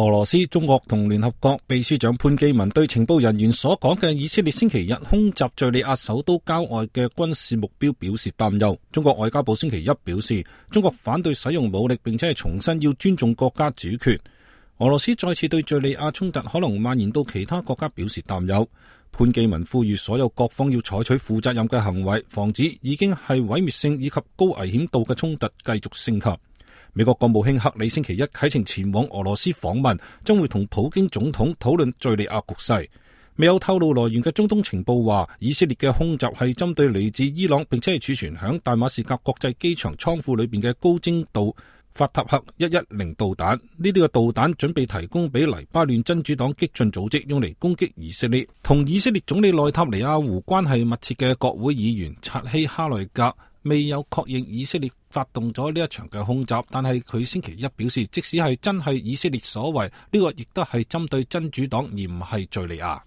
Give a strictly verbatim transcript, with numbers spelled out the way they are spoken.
俄羅斯、中國同聯合國秘書長潘基文對情報人員所講嘅以色列星期日空襲敘利亞首都郊外嘅軍事目標表示擔憂。中國外交部星期一表示，中國反對使用武力，並且係重申要尊重國家主權。俄羅斯再次對敘利亞衝突可能蔓延到其他國家表示擔憂。潘基文呼籲所有各方要採取負責任嘅行為，防止已經係毀滅性以及高危險度嘅衝突繼續升級。美國國務卿克里星期一啟程前往俄羅斯訪問，將會同普京總統討論敘利亞局勢。未有透露來源嘅中東情報話，以色列嘅空襲係針對嚟自伊朗並且係儲存響大馬士革國際機場倉庫裏邊嘅高精度法塔赫一一零導彈。呢啲嘅導彈準備提供俾黎巴嫩真主黨激進組織，用嚟攻擊以色列。同以色列總理內塔尼亞胡關係密切嘅國會議員察希哈內格未有確認以色列發動咗呢一場嘅空襲，但係佢星期一表示，即使係真係以色列所為，呢個亦都係針對真主黨而唔係敘利亞。